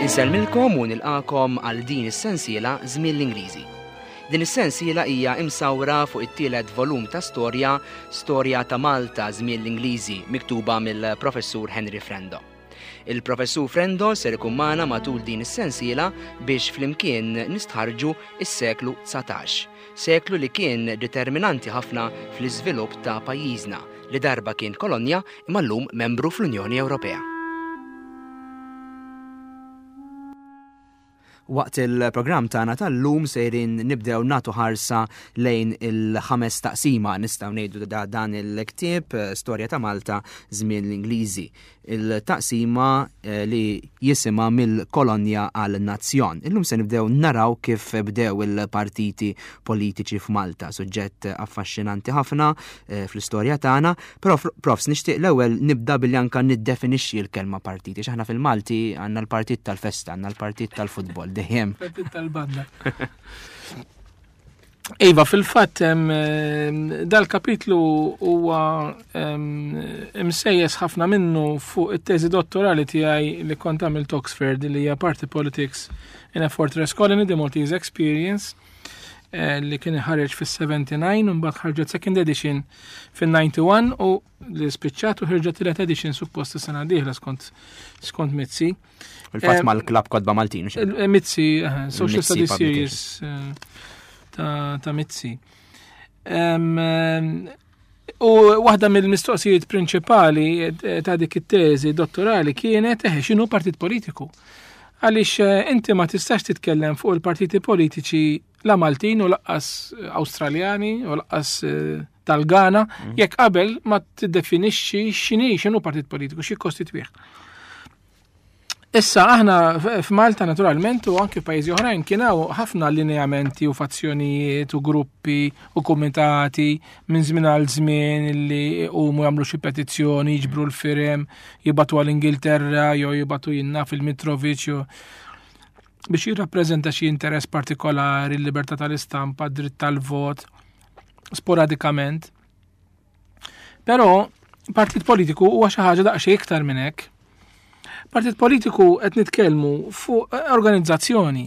Insellmilkom u nilqakom għal din is-sensiela Żmien l-Ingliżi. Din is-sensiela hija imsawra fuq it-tielet volum ta' storja Storja ta' Malta Żmien l-Ingliżi miktuba mill-Professur Henry Frendo. Il-Professur Frendo ser ikun magħna matul din is-sensiela biex flimkien nistħarrġu s-seklu 19, seklu li kien determinanti ħafna fl-iżvilupp ta' pajjiżna li darba kien kolonja imma llum membru fl-Unjoni Ewropea. Waqt il-programm tagħna tal-lum sejrin nibdew nagħtu ħarsa lejn il-ħames taqsima nistgħu ngħidu da dan il-ktieb eh, Storja ta' Malta żmien l-Ingliżi. Il-taqsima eh, li jisimha mill-kolonja għal nazzjon. Illum se nibdew naraw kif bdew il-partiti politiċi f'Malta, suġġett affaxxinanti ħafna eh, fl-istorja tagħna. Però profs nixtieq l-ewwel nibda billi anka niddefinixxi l-kelma partiti. X'aħna fil-Malti għandna l-partit tal-festa, għandna l-partit tal-futbol, dejjem. Partit tal-banda. Iva, fil-fatt dal-kapitlu huwa imsejjes ħafna minnu fuq it-teżi dottorali tiegħi li kont għamilt Oxford li hija Party Politics in a Fortress Colony, The Maltese Experience. Eh, li kien ħareġ fis-79 u mbagħad ħarġet second edition fin-91 u li spiċċat u ħarġet tielet edition suppost is-sena dieħla skont skont Mizzi. Il-fatt eh, mal-klab kodba Maltin. Eh, Mizzi, Social Studies Series ta' Mizzi. U waħda mill-mistoqsijiet prinċipali ta' dik it-teżi dottorali kienet eħe x'inhu partit politiku. Għaliex inti ma tistax titkellem fuq il-partiti politiċi la Maltin u laqqas Awstraljani u laqqas eh, tal-Ghana, mm. jekk qabel ma tiddefinixxi x'inhi x'inhu partit politiku, xi kostitwih. Issa aħna f'Malta naturalment u anke f'pajjiżi oħrajn kien hawn ħafna lineamenti u fazzjonijiet u gruppi u kumitati minn żmien għal żmien li huma jagħmlu xi petizzjoni, jiġbru l-firem, jibatu għall-Ingilterra jew jibatu jinna fil-Mitrovic jew biex jirrappreżenta xi interess partikolari, l-libertà tal-istampa, dritt tal-vot, sporadikament. Però partit politiku huwa xi ħaġa daqsxejn iktar minn hekk. Partit politiku qed nitkellmu fuq organizzazzjoni.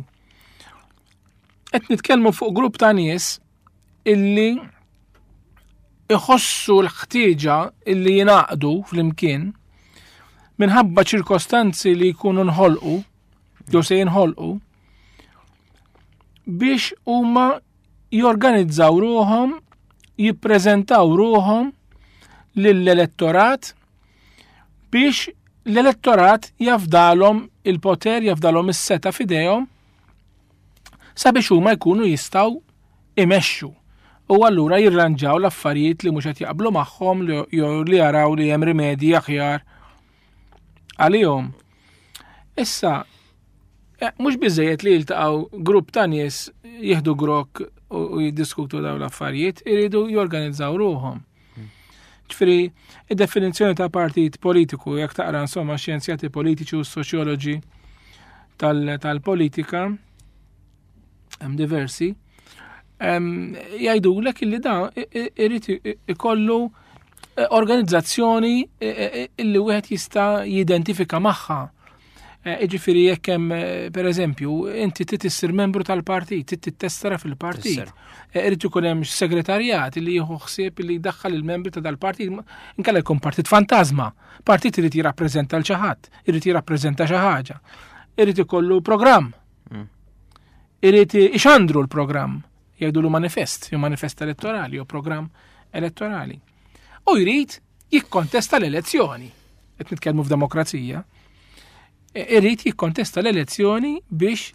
Qed nitkellmu fuq grupp ta' nies illi iħossu l-ħtieġa illi jingħaqdu flimkien minħabba ċirkostanzi li jkunu nħolqu jew se jinħolqu biex huma jorganizzaw ruhom, jippreżentaw ruhom lill-elettorat biex l-elettorat jafdalhom il-poter, jafdalhom is-seta f'idejhom sabiex huma jkunu jistgħu imexxu u allura jirranġaw l-affarijiet li mhux qed jaqblu magħhom jew li jaraw li hemm rimedji aħjar għalihom. Issa, eh, mhux biżejjed li jiltaqgħu grupp ta' nies jieħdu grok u jiddiskutu dawn l-affarijiet, iridu jorganizzaw ruhom. Ġifieri, id-definizzjoni ta' partit politiku, jekk taqra insomma xjenzjati politiċi u soċjoloġi tal-politika, hemm diversi, jgħidulek illi da irid ikollu eh, organizzazzjoni eh, eh, illi wieħed jista' jidentifika magħha. Iġifieri jekk hemm pereżempju inti trid issir membru tal-partit, trid tittestera fil-partit. Irid ikun hemm segretarjat li jieħu ħsieb li jdaħħal il-membri ta' dal-partit, inkella jkun partit fantasma. Partit irid jirrappreżenta l xi ħadd, irid jirrappreżenta xi ħaġa. Irid ikollu programm. Mm. Irid ixandru l-programm, jgħidulu manifest, jew manifest elettorali, jew programm elettorali. U jrid jikkontesta l-elezzjoni. Qed nitkellmu f'demokrazija. E, irid jikkontesta l-elezzjoni biex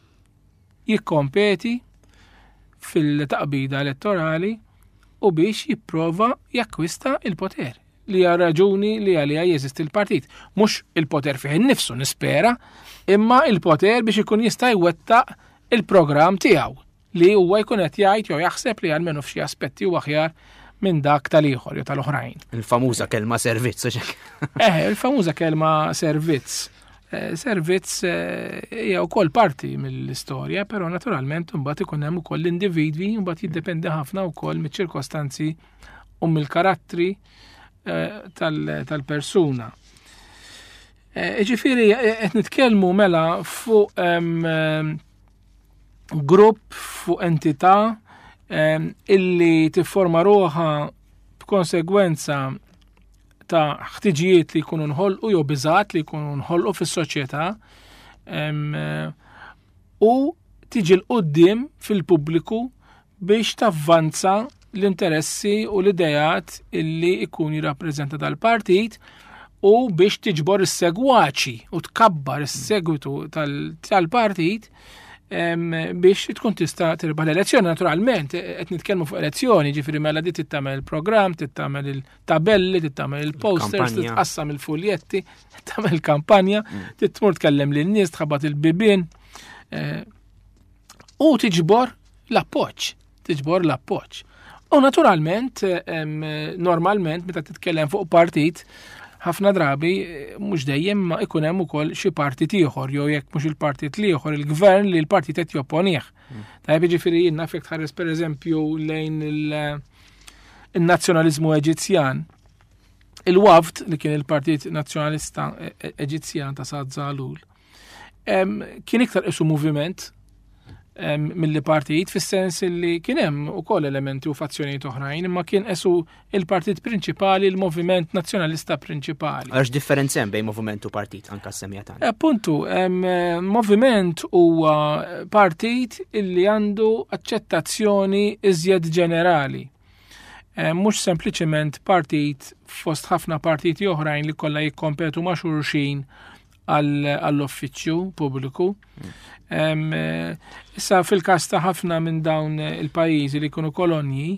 jikkompeti fil-taqbida elettorali u biex jipprova jakkwista il-poter li hija raġuni li għaliha jeżisti l-partit. Mhux il-poter fih innifsu nispera, imma il-poter biex ikun jista' jwettaq il-programm tiegħu li huwa jkun qed jgħid jew jaħseb li għalmenu f'xi aspetti huwa aħjar minn dak tal-ieħor jew tal-oħrajn. Il-famuża kelma servizz. Eh, il-famuża kelma servizz. Eh, servizz eh, hija wkoll parti mill-istorja, però naturalment imbagħad ikun hemm ukoll l-individwi mbagħad jiddependi ħafna wkoll miċ-ċirkostanzi u mill-karattri eh, tal-persuna. Eh, ġifieri eh, qed nitkellmu mela fuq grupp fuq entità illi tifforma ruħha b'konsegwenza ta' ħtiġijiet li jkunu nħolqu jew biżgħat li jkunu nħolqu fis-soċjetà u tiġi 'l quddiem fil-pubbliku biex tavvanza l-interessi u l-ideat illi jkun jirrappreżenta dal-partit u biex tiġbor is-segwaċi u tkabbar is-segwitu tal-partit biex tkun tista' tirbaħ l-elezzjoni. Naturalment, qed nitkellmu fuq elezzjoni, ġifieri mela di tittamel il-programm, tittamel il-tabelli, tittamel il-posters, titqassam il-fuljetti, tagħmel kampanja, mm. titmur tkellem lin-nies, tħabbat il-bibien. Eh, u tiġbor l-appoġġ, tiġbor l-appoġġ. U naturalment, normalment, meta titkellem fuq partit, ħafna drabi eh, mhux dejjem ma ikun hemm ukoll xi partit ieħor jew jekk mhux il-partit l-ieħor il-gvern li l-partit qed jopponih. Mm. Tajjeb jiġifieri jien naf jekk tħares pereżempju lejn il-nazzjonaliżmu Eġizzjan. Il-Wafd li kien il-Partit Nazzjonalista e-, e-, Eġizzjan ta' Saad Zalul kien iktar isu moviment mill-li partit fis-sens li kien hemm ukoll elementi u fazzjonijiet oħrajn, imma kien esu il-partit prinċipali, il-moviment nazzjonalista prinċipali. Għax differenza hemm bejn moviment u partit anka semmija tagħna. Appuntu, moviment huwa partit illi għandu aċċettazzjoni iżjed ġenerali. Eh, mhux sempliċement partit fost ħafna partiti oħrajn li kollha jikkompetu ma' xulxin għall-uffiċċju pubbliku. Eh, issa fil-każ ta' ħafna minn dawn il-pajjiżi li jkunu kolonji,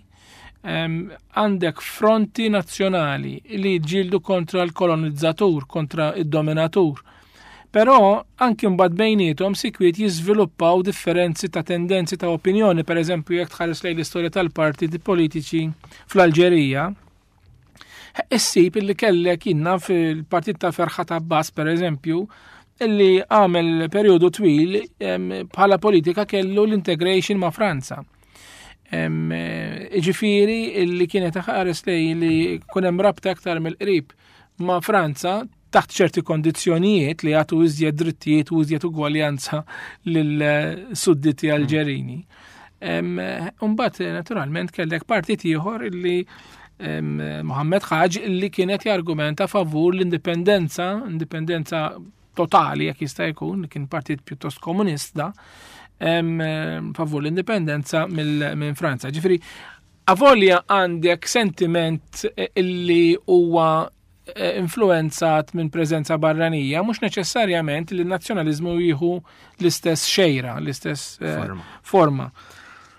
għandek fronti nazzjonali li jġildu kontra l-kolonizzatur, kontra id-dominatur. Però anki mbagħad bejniethom sikwit jiżviluppaw differenzi ta' tendenzi ta' opinjoni, per eżempju jekk tħares lejn l-istorja tal-partiti politiċi fl-Alġerija, issib illi kellek jinna fil-partit ta' Ferħat Abbas, per eżempju, illi għamel periodu twil bħala politika kellu l-integration ma' Franza. Ġifiri illi kienet ħares lej li kunem rabta aktar mill-qrib ma' Franza taħt ċerti kondizzjonijiet li jagħtu iżjed drittijiet u iżjed ugwaljanza lil-sudditi mm. Alġerini. Umbat, naturalment, kellek partit ieħor illi Mohammed Ħaġ illi kienet jargumenta favur l-indipendenza, indipendenza totali jekk jista' jkun, kien partit pjuttost komunista, favur l-indipendenza minn Franza. Ġifieri, avolja għandek sentiment illi huwa Eh, influenzat minn preżenza barranija, mhux neċessarjament li n-nazzjonaliżmu jieħu l-istess xejra, l-istess eh, forma. forma.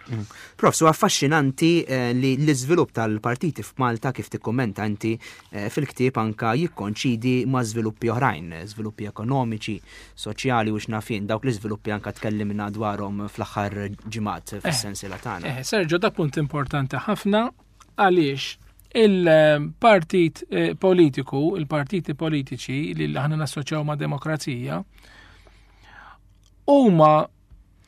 Mm. Prof, su affaxxinanti eh, li l-iżvilupp tal-partiti f'Malta kif tikkummenta inti fil-ktieb anka jikkonċidi ma' żviluppi oħrajn, żviluppi ekonomiċi, soċjali u x'nafin, dawk l-iżviluppi anka tkellimna dwarhom fl-aħħar ġimgħat fis-sensiela tagħna. Sergio, da punt importanti ħafna Għaliex il-partit eh, politiku, il-partiti politiċi li aħna nassoċjaw ma' demokrazija, huma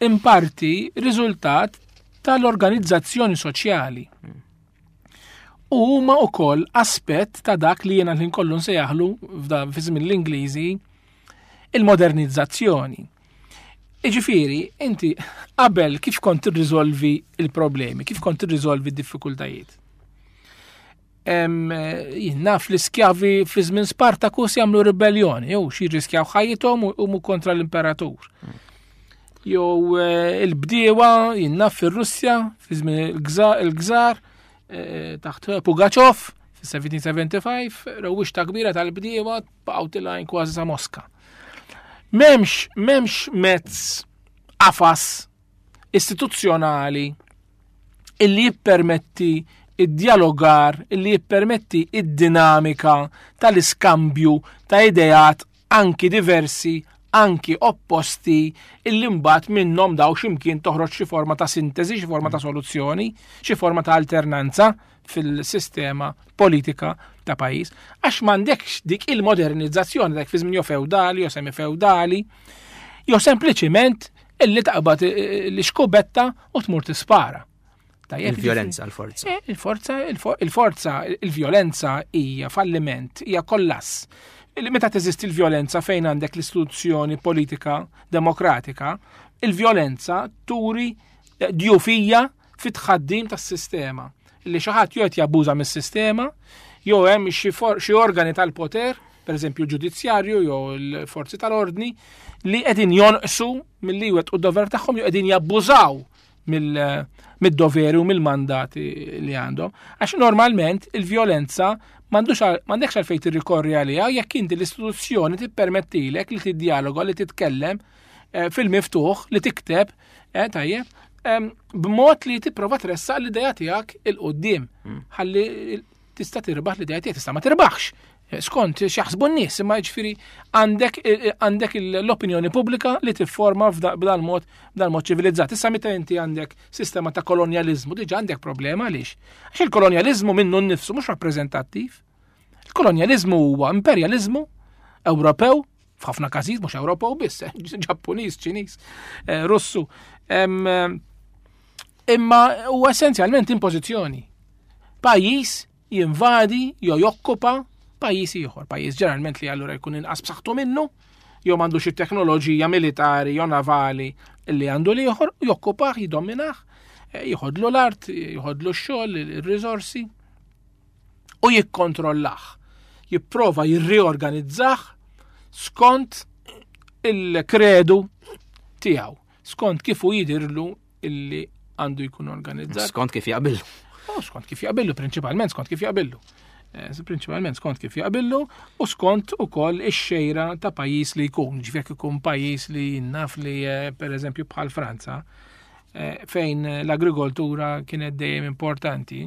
in parti riżultat tal-organizzazzjoni soċjali. U huma wkoll aspett ta' dak li jiena l-ħin kollu nsejjaħlu fi żmien l-Ingliżi il-modernizzazzjoni. Iġifieri, inti qabel kif kont tirriżolvi il-problemi, kif kont tirriżolvi d-diffikultajiet? Jien naf l-iskjavi fi żmien Spartacus jagħmlu ribelljoni, jew xi jirriskjaw ħajjithom u mu kontra l-imperatur. Jew eh, il-bdiewa jien naf fir-Russja fi żmien il-gżar eh, taħt Pugaċov fis-1775 rewwixta kbira tal-bdiewa baqgħu tilgħin kważi sa Moska. Memx, memx mezz qafas istituzzjonali illi jippermetti id-dialogar, illi jippermetti id-dinamika tal-iskambju ta' ideat anki diversi, anki opposti, illi mbagħad minnhom daw x'imkien toħroġ xi forma ta' sintesi, xi forma ta' soluzzjoni, xi forma ta' alternanza fil-sistema politika ta' pajjiż, għax m'għandekx dik il-modernizzazzjoni dak fi żmien jew feudali jew semi-feudali, jew sempliċiment illi taqbad l-iskubetta u tmur tispara. Il-violenza, l-forza. Eh, il-forza, il-forza, il-violenza hija falliment, hija kollass. Meta teżisti l-vjolenza fejn għandek l-istituzzjoni politika demokratika, il-vjolenza turi eh, djufija fit-tħaddim tas-sistema. Li xi ħadd jew qed jabbuża mis-sistema, jew hemm xi organi tal-poter, pereżempju l-ġudizzjarju jew l-forzi tal-ordni, li qegħdin jonqsu milli jwettqu d-dover tagħhom jew qegħdin jabbużaw mid-doveri u mill-mandati li għandhom. Għax normalment il-vjolenza m'għandekx għalfejn tirrikorri għaliha jekk inti l-istituzzjoni tippermettilek li tiddialoga, li titkellem eh, fil-miftuħ, li tikteb, eh, tajjeb, b'mod li tipprova tressaq l-idea tiegħek il-qudiem. Hmm. Ħalli tista' tirbaħ l-idea tiegħek, tista' ma tirbaħx. Eh, skont x'jaħsbu n-nies, imma jiġifieri għandek eh, għandek l-opinjoni pubblika li tifforma b'dan mod b'dan mod ċivilizzat. Issa meta inti għandek sistema ta' kolonjaliżmu diġà għandek problema għaliex. Għax il-kolonjaliżmu minnu nnifsu mhux rappreżentattiv. Il-kolonjaliżmu huwa imperjaliżmu Ewropew f'ħafna każijiet mhux Ewropew biss, eh, Ġappuniż, Ċiniż, Russu. Imma huwa essenzjalment impożizzjoni. Pajjiż jinvadi jew jokkupa pajjiż ieħor, pajjiż ġeneralment li allura jkun inqas b'saħħtu minnu, jew m'għandux it-teknoloġija militari jew navali li għandu l-ieħor, jokkupah, jidominah, eh, jieħodlu l-art, jieħodlu x-xogħol, ir-riżorsi u jikkontrollah. Jipprova jirriorganizzah skont il-kredu tiegħu, skont kif hu jidirlu illi għandu jkun organizzat. Skont kif jaqbillu. Oh, skont kif jaqbillu, prinċipalment skont kif jaqbillu. Eh, prinċipalment skont kif jaqbillu u skont ukoll ix-xejra ta' pajjiż li jkun, ġifier ikun pajjiż li naf li eh, pereżempju bħal Franza eh, fejn l-agrikoltura kienet dejjem importanti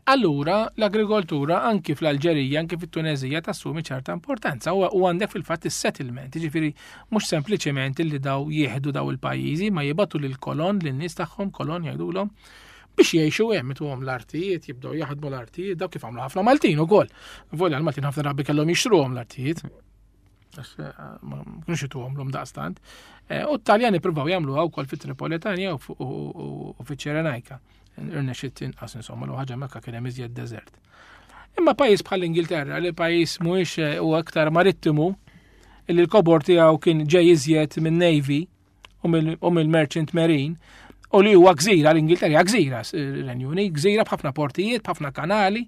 Allura l-agrikoltura anki fl-Alġerija, anki fit-Tunezija tassumi ċerta importanza u għandek fil-fatt is-settlement, jiġifieri mhux sempliċement li daw jieħdu daw il-pajjiżi ma jibatu lil kolon lin-nies tagħhom kolon jgħidulhom biex jgħixu hemm ituhom l-artijiet, jibdew jaħdmu l-artijiet, daw kif għamlu ħafna Maltin ukoll. Volja l-Maltin ħafna drabi kellhom jixtruhom l-artijiet. Eh, ma kienux ituhom l-om daqstant. Eh, u t-Taljani provaw jagħmluha wkoll fit-Tripolitanja u fiċ-Ċerenajka. Irnexxiet inqas insomma l ħaġa mekka kien hemm iżjed deżert. Imma pajjiż bħal Ingilterra li pajjiż mhuwiex eh, u aktar marittimu li l-kobor tiegħu kien ġej iżjed minn Navy u mill-Merchant Marine u li huwa gżira l-Ingilterra gżira, Renju Unit, gżira b'ħafna portijiet, b'ħafna kanali.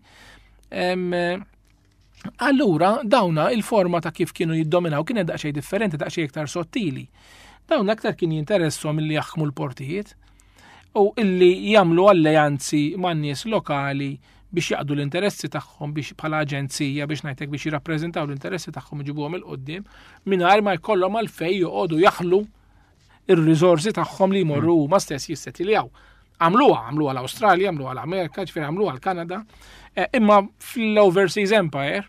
Allura dawna il-forma ta' kif kienu jiddominaw kienet daqsxejn differenti, daqsxejn iktar sottili. Dawn aktar kien jinteressom illi jaħkmu l-portijiet u illi jagħmlu alleanzi man nies lokali biex jaqdu l-interessi tagħhom biex bħala aġenzija biex ngħidlek biex jirrappreżentaw l-interessi tagħhom iġibuhom il-qoddim mingħajr ma jkollhom għalfejn joqogħdu jaħlu ir-riżorsi tagħhom li jmorru mm. huma stess jissetiljaw. Għamluha, għamluha l-Awstralja, għamluha l-Amerika, ġifieri għamluha l-Kanada, eh, imma fl-Overseas Empire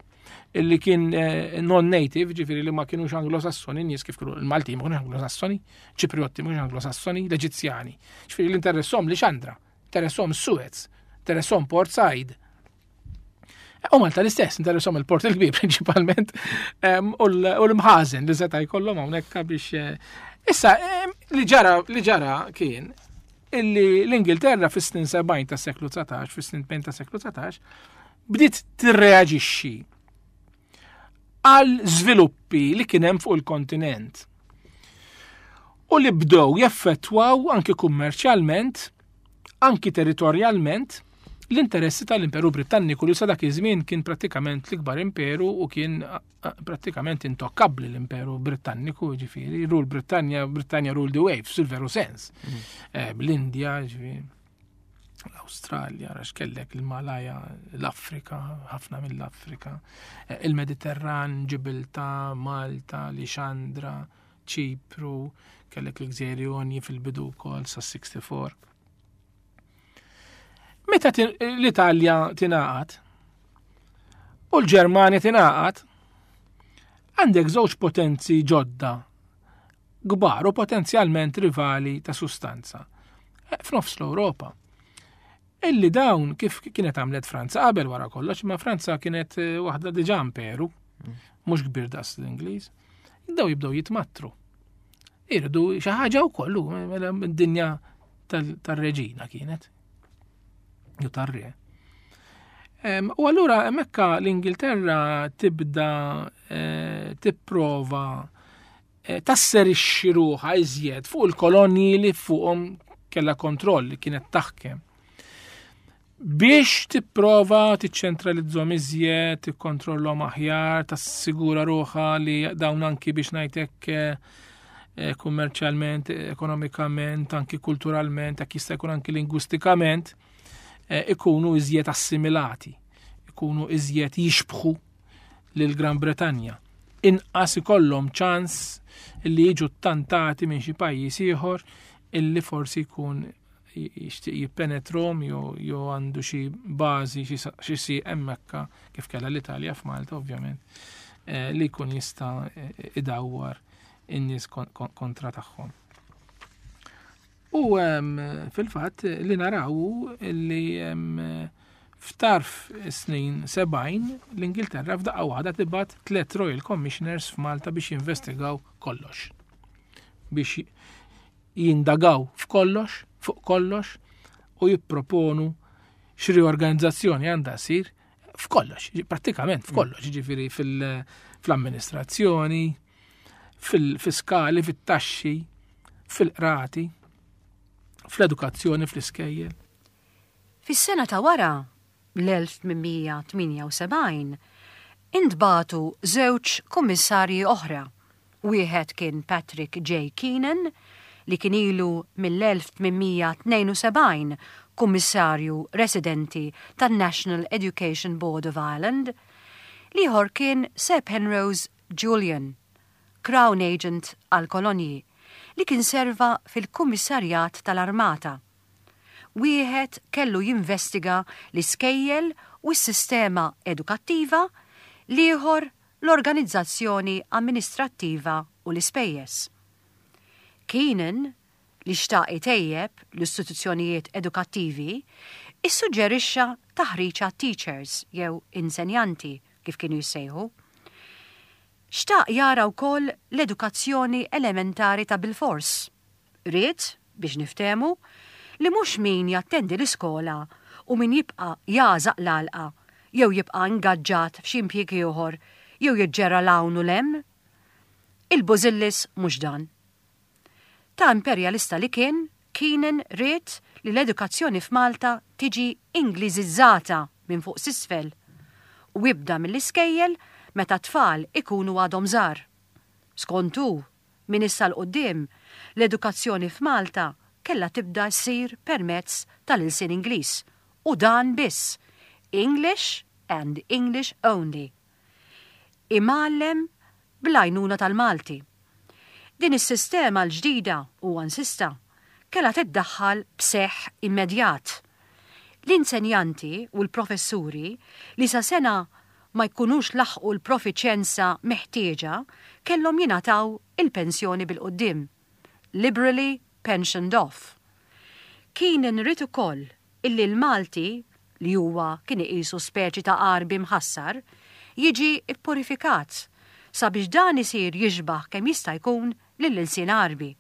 illi kien eh, non-native, ġifieri li ma kienux anglosassoni, nies kif kienu il-Malti ma kienux anglosassoni, Ċipriotti ma kienux anglosassoni, l-Eġizzjani. Ġifieri l-interessom li xandra, interessom Suez, interessom Port Said, U Malta l-istess, interessom il-port il-kbir prinċipalment, u l-mħazen li seta' jkollhom hawnhekk biex. Eh, issa, li ġara li ġara kien illi l-Ingilterra fis-snin 70 tas-seklu 19, fis-snin 80 tas-seklu 19, bdiet tirreaġixxi għal żviluppi li kien hemm fuq il-kontinent. U li bdew jaffettwaw anki kummerċjalment anki territorjalment, l-interessi tal-Imperu Britanniku li sa dak iż-żmien kien prattikament l-ikbar imperu u kien prattikament intokkabbli l-Imperu Britanniku, ġifieri, rule Britannia, Britannia rule the waves, fil-veru sens. Mm. Eh, Bl-Indja, ġifieri, l-Awstralja, għax kellek il-Malaja, l-Afrika, ħafna mill-Afrika, eh, il-Mediterran, Ġibilta, Malta, Lixandra, Ċipru, kellek l-Gżejjer Jonji fil-bidu wkoll sa 64. Meta l-Italja tingħaqad u l-Ġermanja tingħaqad, għandek żewġ potenzi ġodda kbar u potenzjalment rivali ta' sustanza eh, f'nofs l-Ewropa. Illi dawn kif kienet għamlet Franza qabel wara kollox, ma Franza kienet eh, waħda diġà imperu, mm. mhux kbir daqs l-Ingliż. Daw jibdew jitmattru. Irdu xi ħaġa wkoll mela d-dinja tar-reġina kienet. Jew tar-re. U allura hemmhekk l-Ingilterra tibda eh, tipprova eh, tasserixxi ruħha iżjed fuq il-kolonji li fuqhom kellha kontroll li kienet taħkem. Biex tipprova tiċċentralizzhom iżjed, tikkontrollhom aħjar, tassigura ruħha li dawn anki biex ngħidlek eh, kummerċjalment, ekonomikament, anki kulturalment, jekk jista' jkun anki lingwistikament, Eh, ikunu iżjed assimilati, ikunu iżjed jixbħu lil Gran Bretanja. Inqas ikollhom ċans li jiġu ttantati minn xi pajjiż ieħor illi forsi jkun jixtieq jippenetrom jew għandu xi bażi xi si hemmhekk kif kellha l-Italja f'Malta ovvjament eh, li jkun jista' eh, idawwar in-nies kontra tagħhom. U fil-fatt li naraw li f'tarf snin 70 l-Ingilterra f'daqqa waħda tibgħat tliet Royal Commissioners f'Malta biex jinvestigaw kollox. Biex jindagaw f'kollox, fuq kollox u jipproponu x'riorganizzazzjoni għandha ssir f'kollox, prattikament f'kollox, ġifieri fil-amministrazzjoni, fil-fiskali, fit-taxxi, fil-qrati, fl-edukazzjoni, fl-iskejjel. Fis-sena ta' wara, l-1878, intbagħtu żewġ kummissarji oħra. Wieħed kien Patrick J. Keenan, li kien ilu mill-1872 kummissarju residenti tan-National Education Board of Ireland, l-ieħor kien Sir Penrose Julian, Crown Agent għall-Kolonji, li kien serva fil-Kummissarjat tal-Armata. Wieħed kellu jinvestiga l-iskejjel u s-sistema edukattiva, l-ieħor l-organizzazzjoni amministrattiva u l-ispejjeż. Keenan, li xtaq itejjeb l-istituzzjonijiet edukattivi, issuġġerixxa taħriġ għat-teachers jew insenjanti kif kienu jissejħu. Xtaq jara wkoll l-edukazzjoni elementari ta' bilfors. Ried, biex niftehmu, li mhux min jattendi l-iskola u min jibqa' jagħżaq l-għalqa jew jibqa' ingaġġat f'xi impjieg ieħor jew jiġġerra 'l hawn u 'l hemm. Il-bużillis mhux dan. Ta' imperjalista li kien, Keenan ried li l-edukazzjoni f'Malta tiġi Ingliżizzata minn fuq s'isfel u ibda mill-iskejjel meta t-tfal ikunu għadhom żgħar. Skont hu, minn issa 'l quddiem, l-edukazzjoni f'Malta kellha tibda ssir permezz tal-ilsien Ingliż u dan biss, English and English only. Imgħallem bl-għajnuna tal-Malti. Din is-sistema l-ġdida, huwa insista, kellha tiddaħħal b'seħħ immedjat. L-insenjanti u l-professuri li sa sena ma jkunux laħqu l-profiċjenza meħtieġa kellhom jingħataw il-pensjoni bil-quddiem, liberally pensioned off. Keenan ried ukoll illi l-Malti, li huwa kien iqisu speċi ta' Għarbi mħassar, jiġi ppurifikat sabiex dan isir jixbah kemm jista' jkun lill-ilsien Għarbi.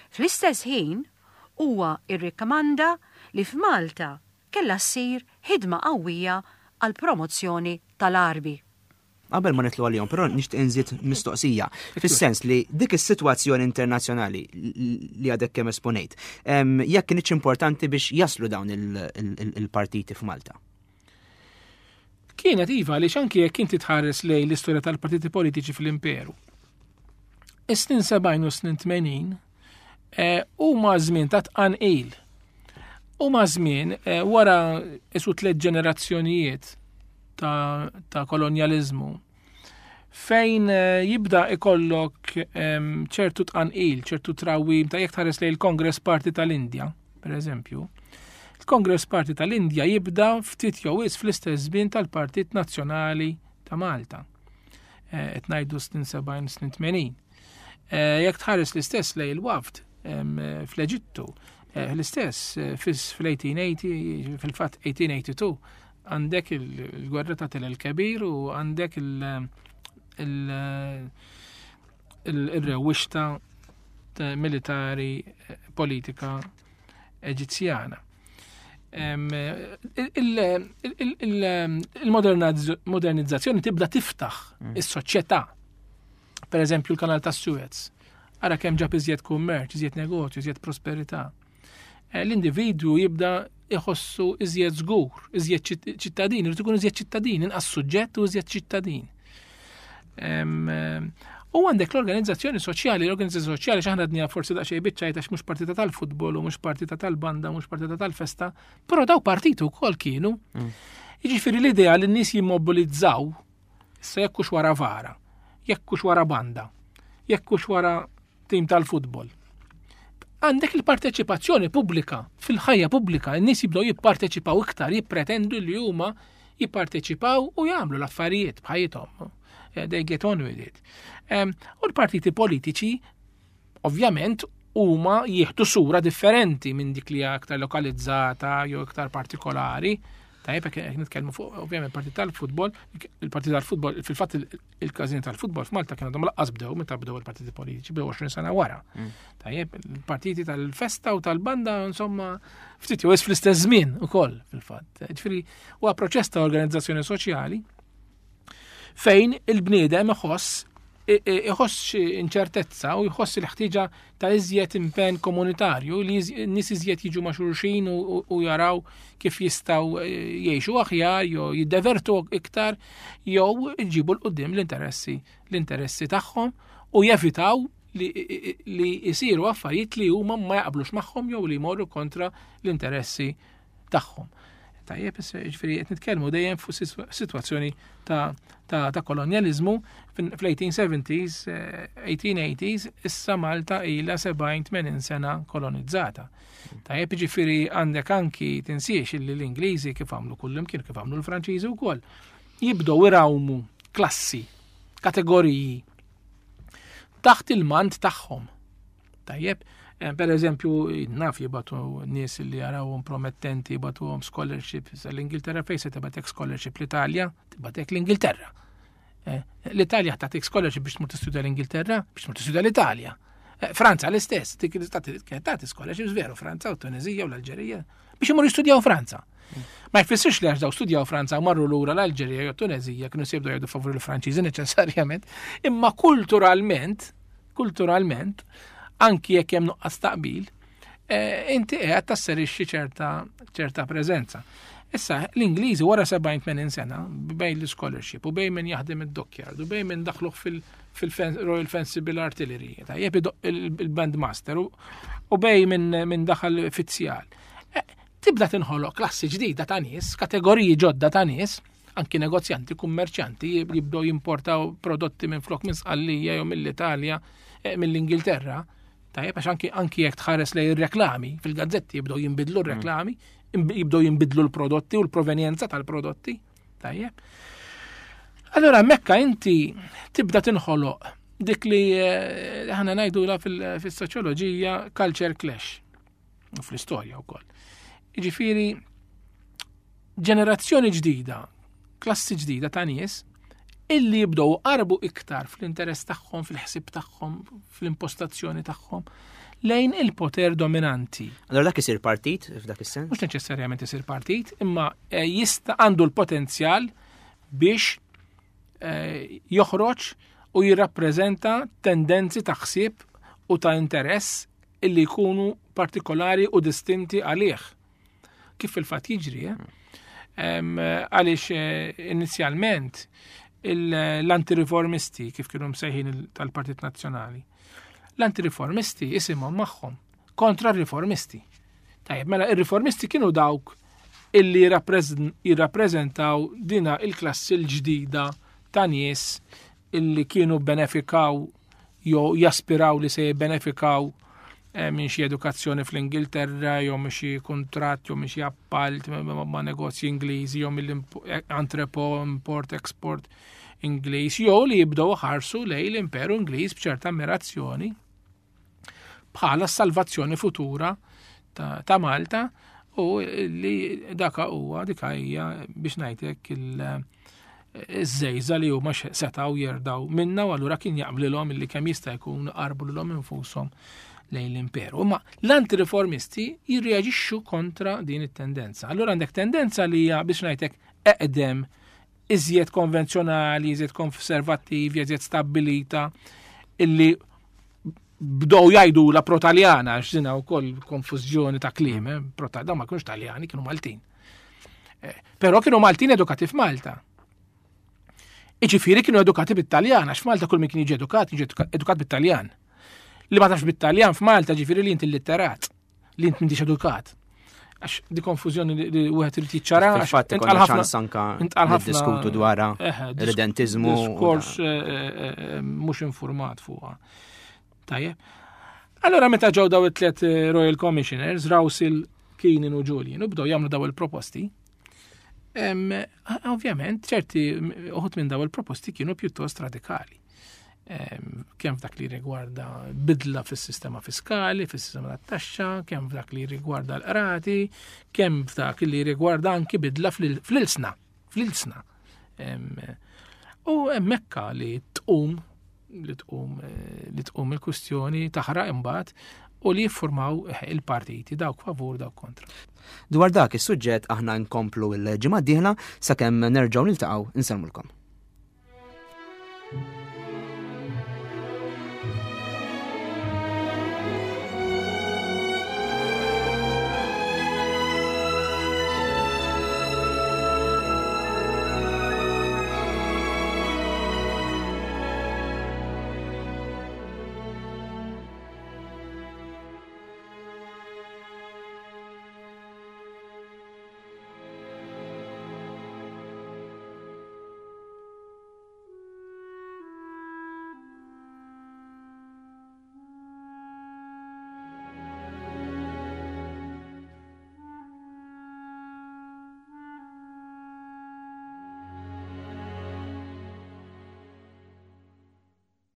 Fl-istess ħin, huwa rrikmanda li f'Malta kellha ssir ħidma qawwija għall-promozzjoni tal-Għarbi. Qabel ma nitlu għalihom, però nixtieq inżid mistoqsija, fis-sens li dik is-sitwazzjoni internazzjonali li għadek kemm esponejt, jekk kienx importanti biex jaslu dawn il-partiti f'Malta. Kienet iva li anki jekk inti tħares lejn l-istorja tal-partiti politiċi fl-imperu. Is-snin 70 u snin 80 eh, huma żmien ta' tqanqil. Huma żmien eh, wara isu tliet ġenerazzjonijiet ta', ta kolonjaliżmu fejn eh, jibda ikollok ċertu tqanqil, ċertu trawim ta' jekk tħares lejn il-Congress Party tal-Indja, per eżempju. Il-Congress Party tal-Indja jibda ftit jew wis fl-istess żmien tal-Partit Nazzjonali ta' Malta. Eh, qed ngħidu snin 70 snin 80. Eh, jekk tħares l-istess lejn il-wafd fl-Eġittu, l-istess fl-1880, fil-fatt 1882, Għandek il-gwerra ta' Tel el-Kebir u għandek il-rewwixta militari eh, politika Eġizzjana. Il-modernizzazzjoni tibda tiftaħ is-soċjetà. Per eżempju, l-kanal ta' Suez. Ara kemm ġab iżjed kummerċ, iżjed negozju, iżjed prosperità. Eh, l-individwu jibda iħossu iżjed żgur, iżjed ċittadin, irid ikun iżjed ċittadin, inqas suġġett u iżjed ċittadin. Eh, u għandek l-organizzazzjoni soċjali, l-organizzazzjoni soċjali xaħna dnija forsi daqsxejn biċċajt għax mhux partita tal-futbol u mhux partita tal-banda, mhux partita tal-festa, però daw partitu wkoll kienu. Jiġifieri l-idea li n-nies jimmobilizzaw issa jekk hux wara vara, jekk hux wara banda, jekk hux wara tim tal-futbol. Għandek il-parteċipazzjoni pubblika fil-ħajja pubblika, n-nies jibdew jipparteċipaw iktar, jippretendu li huma jipparteċipaw u jagħmlu l-affarijiet b'ħajjithom. Eh, they get on with it. U l-partiti politiċi, ovvjament, huma jieħdu sura differenti minn dik li aktar lokalizzata jew iktar partikolari. Tajjeb, jekk nitkellmu fuq ovvjament partit tal-futbol, il-partit tal-futbol, fil-fatt il-każin tal-futbol f'Malta kienu għadhom laqqas bdew meta bdew il-partiti politiċi, bdew 20 sena wara. Tajjeb, il-partiti tal-festa u tal-banda, insomma, ftit jew fl-istess żmien ukoll fil-fatt. Ġifieri huwa proċess ta' organizzazzjoni soċjali fejn il-bniedem iħoss iħoss xi inċertezza u jħoss il-ħtieġa ta' iżjed impenn komunitarju li nies iżjed jiġu ma' xulxin u jaraw kif jistgħu eh, jgħixu aħjar jew jiddevertu iktar jew iġibu l qudiem l-interessi l-interessi tagħhom u jevitaw li, li jisiru affarijiet li huma ma jaqblux magħhom jew li jmorru kontra l-interessi tagħhom. Tajjeb, ġifieri qed nitkellmu dejjem fuq sitwazzjoni ta', ta, ta kolonjaliżmu fl-1870s, 1880s, eh, issa Malta ilha 70-80 sena kolonizzata. Tajjeb, ġifieri għandek anki tinsiex illi l-Ingliżi kif għamlu kullimkien, kif għamlu l-Franċiżi wkoll, jibdew irawmu klassi, kategoriji taħt il-mant tagħhom. Tajjeb, eh, per eżempju, naf jibatu nies li jarawhom promettenti, jibatuhom scholarship l-Ingilterra fejn se tibatek scholarship l-Italja, tibatek l-Ingilterra. Eh, L-Italja tagħtik scholarship biex tmur tistudja l-Ingilterra, biex tmur tistudja l-Italja. Eh, Franza l-istess, dik tagħti scholarships veru, Franza u Tunizija u l-Alġerija, biex imur jistudjaw Franza. Ma jfissirx li għax daw studjaw Franza u marru lura l-Alġerija jew Tunezija kienu se jibdew jgħidu favur il-Franċiżi neċessarjament, imma kulturalment kulturalment, anki jekk hemm nuqqas taqbil, eh, inti qiegħed tasserixxi ċerta ċerta preżenza. Issa, l-Ingliżi wara 70-80 sena, bejn l-scholarship u bejn min jaħdem id-dockyard u bejn min daħluh fil-Royal Fencible Artillery, tajjeb il-bandmaster u bejn min daħal fizzjal. Eh, tibda tinħoloq klassi ġdida ta' nies, kategoriji ġodda ta' nies, anki negozjanti, kummerċjanti jibdew jimportaw prodotti minn flok minn Sqallija jew mill-Italja, eh, mill-Ingilterra. Tajjeb, għax anki anki jekk tħares lej ir-reklami fil-gazzetti jibdew jinbidlu r-reklami, jibdew jinbidlu l-prodotti u l-provenjenza tal-prodotti. Tajjeb. Allora mekka inti tibda tinħoloq dik li eh, ħana ngħidula fil-soċjoloġija culture clash u fl-istorja wkoll. Jiġifieri ġenerazzjoni ġdida, klassi ġdida ta' nies illi jibdew qarbu iktar fl-interess tagħhom, fil-ħsieb tagħhom, fl-impostazzjoni tagħhom lejn il-poter dominanti. Allora dak isir partit f'dak is-sens? Mhux neċessarjament isir partit, imma eh, jista' għandu l-potenzjal biex eh, joħroġ u jirrappreżenta tendenzi ta' ħsieb u ta' interess illi jkunu partikolari u distinti għalih. Kif fil-fatt jiġri, eh? Għaliex eh, inizjalment l-antireformisti kif kienu msejħin tal-Partit Nazzjonali. L-antireformisti isimhom magħhom kontra r-riformisti. Tajjeb, mela ir-riformisti kienu dawk illi jirrappreżentaw dina il-klassi l-ġdida ta' nies illi kienu benefikaw jew jaspiraw li se jibbenefikaw eh, minn xi edukazzjoni fl-Ingilterra jew minn xi kuntratt jew minn xi appalt ma' negozji Ingliżi jew mill-entrepo import export Ingliż jew li jibdew ħarsu lej l-Imperu Ingliż b'ċerta ammirazzjoni bħala s-salvazzjoni futura ta', ta Malta u li daka huwa dika hija biex ngħidlek il- iż-żejża li huma setgħu jerdaw minna u allura kien jaqblilhom illi kemm jista' jkun qarbu lilhom infushom lejn l-imperu. Imma l-antireformisti jirreaġixxu kontra din it-tendenza. Allura għandek tendenza li hija biex ngħidlek eqdem iżjed konvenzjonali, iżjed konservattivi, iżjed stabbilita illi bdow jgħidu la protaljana, għax dina wkoll konfużjoni ta' kliem, eh? Prota, dawn ma kienux Taljani, kienu Maltin. Eh, però kienu Maltin edukati f'Malta. Iġifieri kienu edukati bit-Taljan, għax f'Malta kull min kien jiġi edukat, jiġi edukat bit-Taljan. Li ma tafx bit-Taljan f'Malta ġifieri li inti litterat, li inti m'intix edukat. Għax di konfużjoni li wieħed irid jiċċara. Fil-fatt ikollna ċans anka niddiskutu dwarha redentizmu. Diskors eh, eh, eh, mhux informat fuqha. Tajjeb. Allora meta ġew daw it-tliet Royal Commissioners, Rawsil, Keenan u Julian, u bdew jagħmlu daw il-proposti, Ovvjament, ċerti uħut minn daw il-proposti kienu pjuttost radikali. Kemm f'dak li rigwarda bidla fis-sistema fiskali, fis-sistema tat-taxxa, kemm f'dak li rigwarda l-qrati, kemm f'dak li rigwarda anki bidla fl-ilsna, fl-ilsna. U hemmhekk li tqum li tqum eh, li tqum il-kwistjoni taħraq imbagħad u li jiffurmaw eh, il-partiti dawk favur dawk kontra. Dwar dak is-suġġett aħna nkomplu l-ġimgħa d-dieħla sakemm nerġgħu niltaqgħu insellmulkom.